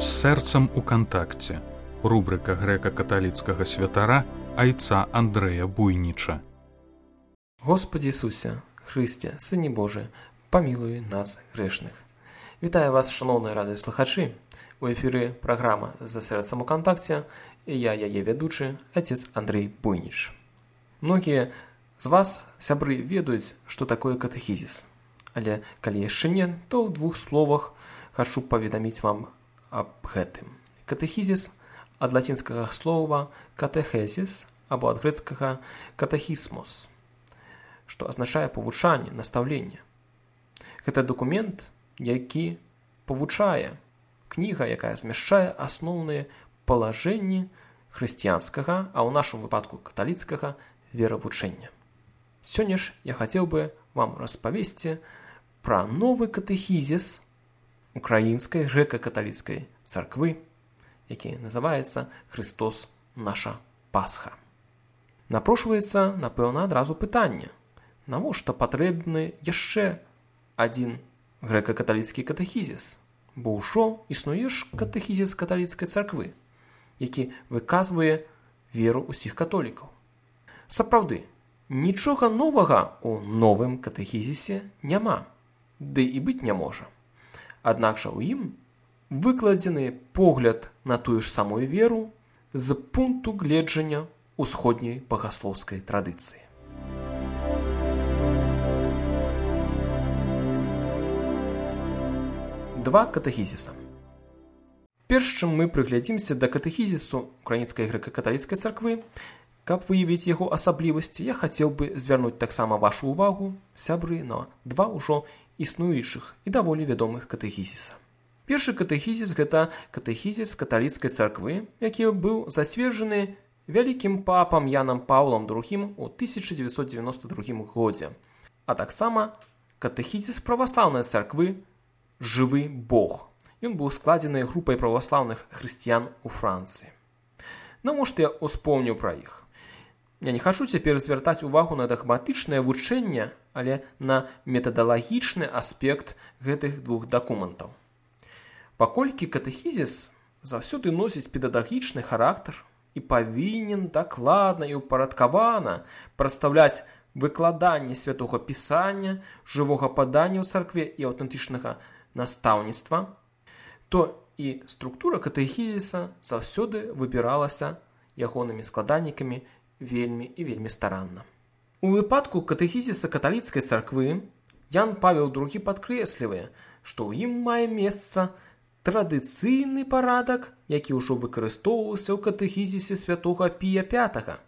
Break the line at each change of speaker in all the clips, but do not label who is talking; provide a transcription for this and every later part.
З сэрцам у кантакце. Рубрика грэка-каталіцкага святара айца Андрэя Буйніча.
Господи Ісусе, Христе, Сыне Божий, памілуй нас грэшных. Вітаю вас, шановныя радыёслухачы. У эфіры праграма «За сэрцам у кантакце» і я яе вядучы, отец Андрей Буйніч. Многія з вас, сябры, ведаюць, што такое катэхізіс. Але калі яшчэ не, то ў двух словах хачу паведаміць вам аб гэтым. Катэхізіс ад лацінскага слова «катэхезіс» або ад грэцкага «катэхісмос», што азначае павучанне, настаўленне. Гэта дакумент, які павучае, кніга, якая змяшчае асноўныя палажэнні хрысціянскага, а ў нашым выпадку каталіцкага веравучэння. Сёння ж я хацеў бы вам распавесці пра новы катэхізіс украінскай грэка-каталіцкай царквы, які называецца «Христос наша Пасха». Напрошваецца, напэўна, адразу пытанне, навошта патрэбны яшчэ адзін грэка-каталіцкі катэхізіс, бо ўжо існуе ж катэхізіс каталіцкай царквы, які выказвае веру ўсіх католікаў. Сапраўды, нічога новага ў новым катэхізісе няма, ды і быць не можа. Аднак жа ў ім выкладзены погляд на тую ж самую веру з пункту гледжання усходняй багаслоўскай традыцыі. Два катэхізіса. Перш чым мы прыглядзімся да катэхізісу украінскай грэка-каталіцкай царквы, каб выявіць яго асаблівасці, я хацеў бы звярнуць таксама вашу ўвагу, сябры, на два ўжо існуючых і даволі вядомых катэхізіса. Першы катэхізіс – гэта катэхізіс каталіцкай царквы, які быў зацверджаны вялікім папам Янам Паўлам II у 1992 годзе, а таксама катэхізіс праваслаўнай царквы «Жывы Бог». Ён быў складзены групай праваслаўных хрысціян у Францыі. Навошта я успомніў пра іх? Я не хачу цяпер звяртаць увагу на дагматычнае вучэнне, але на метадалагічны аспект гэтых двух дакументаў. Паколькі катэхізіс заўсёды носіць педагагічны характар і павінен дакладна і ўпарадкавана прадстаўляць выкладанне святога пісання, жывога падання ў царкве і аўтэнтычнага настаўніцтва, то і структура катэхізіса заўсёды выбіралася ягонымі складальнікамі вельмі і вельмі старанна. У выпадку катэхізіса каталіцкай царквы Ян Павел II падкрэслівае, што ў ім мае месца традыцыйны парадак, які ўжо выкарыстоўваўся ў катэхізісе святога Пія V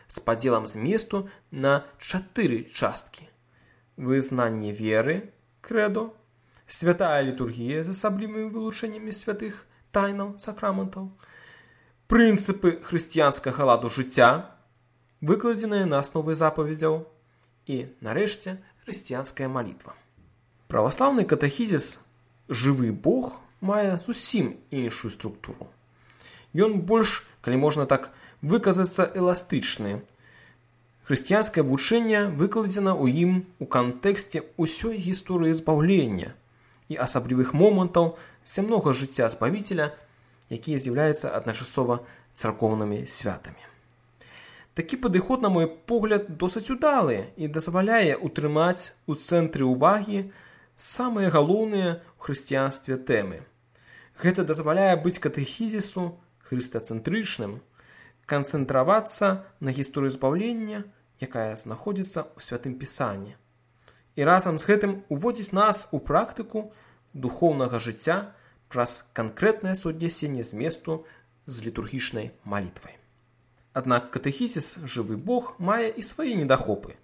з падзелам зместу на 4 часткі: вызнанне веры, крэдо, святая літургія з асаблівымі вылучэннямі святых тайнаў, сакраментаў, прынцыпы хрысціянскага ладу жыцця, выкладзеныя на аснове запаведзяў, і, нарэшце, хрысціянская малітва. Праваслаўны катэхізіс «Жывы Бог» мае зусім іншую структуру. Ён больш, калі можна так выказацца, эластычны. Хрысціянскае вучэнне выкладзена ў ім у кантэксце ўсёй гісторыі збаўлення і асаблівых момантаў зямнога жыцця Збавіцеля, якія з'яўляюцца адначасова царкоўнымі святамі. Такі падыход, на мой погляд, досыць удалы і дазваляе утрымаць у цэнтры ўвагі самыя галоўныя ў хрысціянстве тэмы. Гэта дазваляе быць катэхізісу хрыстацэнтрычным, канцэнтравацца на гісторыі збаўлення, якая знаходзіцца ў святым пісанні, і разам з гэтым уводзіць нас у практыку духоўнага жыцця праз канкрэтнае суаднясенне зместу з літургічнай малітвай. Аднак катэхізіс «Жывы Бог» мае і свае недахопы.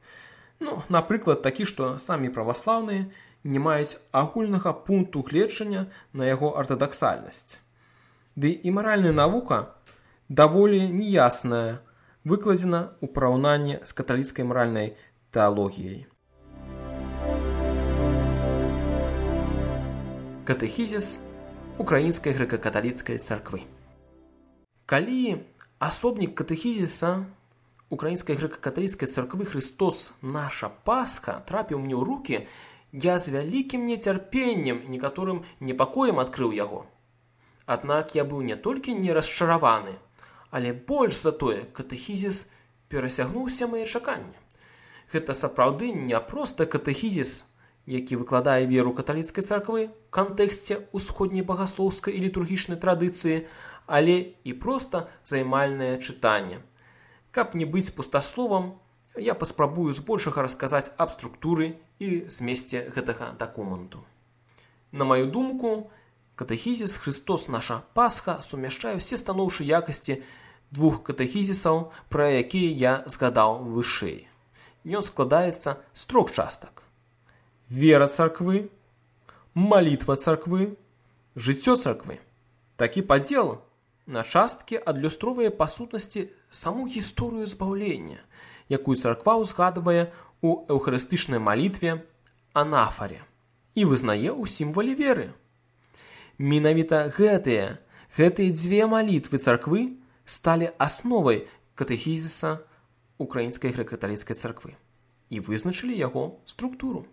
Напрыклад, такі, што самі праваслаўныя не маюць агульнага пункту гледжання на яго артадаксальнасць. Ды і маральная навука даволі неясная, выкладзена ў параўнанні з каталіцкай маральнай тэалогіяй. Катэхізіс украінскай грэка-каталіцкай царквы. Калі асобнік катэхізіса украінскай грэка-каталіцкай царквы «Христос наша Пасха» трапіў мне ў рукі, я з вялікім нецярпеннем і некаторым непакоем адкрыў яго. Аднак я быў не толькі не расчараваны, але больш за тое, катэхізіс перасягнуў усе мае чаканні. Гэта сапраўды не проста катэхізіс, які выкладае веру каталіцкай царквы ў кантэксце усходняй багаслоўскай і літургічнай традыцыі, але і проста займальнае чытанне. Каб не быць пустасловам, я паспрабую збольшага расказаць аб структуры і змесце гэтага дакументу. На маю думку, катэхізіс «Христос наша Пасха» сумяшчае ўсе станоўчыя якасці двух катэхізісаў, пра якія я згадаў вышэй. Ён складаецца з 3 частак: вера царквы, малітва царквы, жыццё царквы. Такі падзел на часткі адлюстроўвае па сутнасці саму гісторыю збаўлення, якую царква ўзгадвае ў эўхарыстычнай малітве анафаре і вызнае ў сімвале веры. Менавіта гэтыя дзве малітвы царквы сталі асновай катэхізіса Украінскай грэка-каталіцкай царквы і вызначылі яго структуру.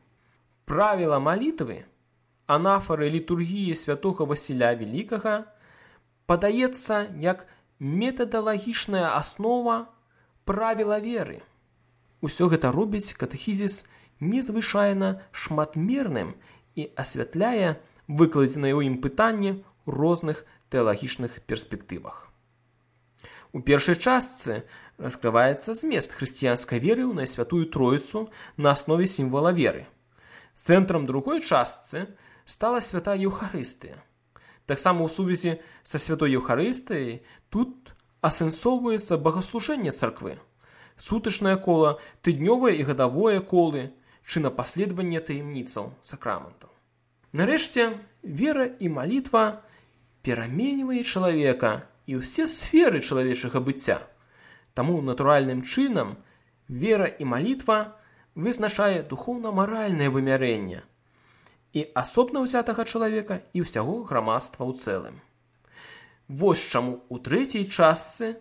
Правіла малітвы, анафары літургіі святога Васіля Велікага падаецца як метадалагічная аснова правіла веры. Усё гэта робіць катэхізіс незвычайна шматмерным і асвятляе выкладзеныя ў ім пытанні ў розных тэалагічных перспектывах. У першай частцы раскрываецца змест хрысціянскай веры ў Найсвятую Троіцу на аснове сімвала веры. Цэнтрам другой частцы стала святая Еўхарыстыя. Таксама ў сувязі са святой Еўхарыстыяй тут асэнсоўваецца богаслужэнне царквы, сутачнае кола, тыднёвае і гадавое колы, чынапаследаванне таямніцаў сакраментаў. Нарэшце, вера і малітва пераменьвае чалавека і ўсе сферы чалавечага быцця. Таму натуральным чынам вера і малітва вызначае духоўна-маральнае вымярэнне і асобна ўзятага чалавека і ўсяго грамадства ў цэлым. Вось чаму ў трэцяй частцы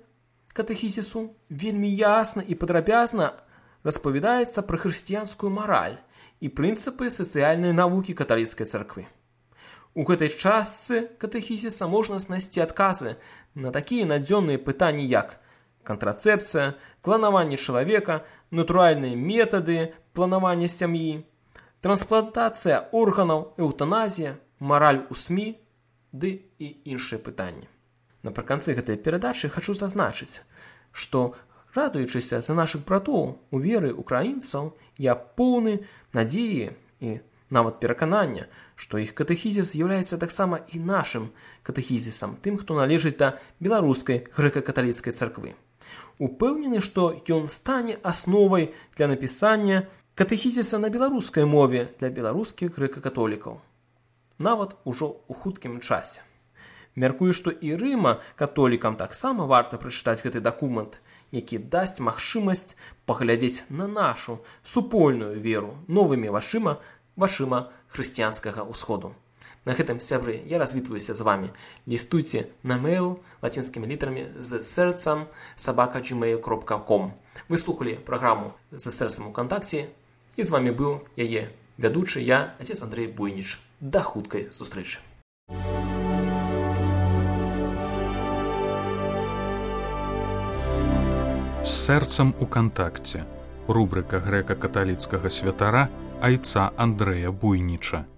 катэхізісу вельмі ясна і падрабязна распавядаецца пра хрысціянскую мараль і прынцыпы сацыяльнай навукі каталіцкай царквы. У гэтай частцы катэхізіса можна знайсці адказы на такія надзённыя пытанні, як кантрацэпцыя, кланаванне чалавека, натуральныя метады планавання сям'і, трансплантацыя органаў, эўтаназія, мараль у СМІ, ды і іншыя пытанні. Напрыканцы гэтай перадачы хачу зазначыць, што, радуючыся за нашых братоў у веры украінцаў, я поўны надзеі і нават пераканання, што іх катэхізіс з'яўляецца таксама і нашым катэхізісам, тым, хто належыць да беларускай грэка-каталіцкай царквы. Упэўнены, што ён стане асновай для напісання катэхізіса на беларускай мове для беларускіх грэка-католікаў, нават ужо ў хуткім часе. Мяркую, што і рыма-католікам таксама варта прачытаць гэты дакумент, які дасць магчымасць паглядзець на нашу супольную веру новымі вачыма хрысціянскага ўсходу. На гэтым, сябры, я развітваюся з вамі. Лістуйце на мэйл лацінскімі літарамі з сэрцам @gmail.com. Вы слухалі праграму «З сэрцам у кантакце», і з вамі быў яе вядучы я, отец Андрей Буйніч. Да хуткай сустрэчы.
З сэрцам у кантакце. Рубрика грэка-каталіцкага святара айца Андрэя Буйніча.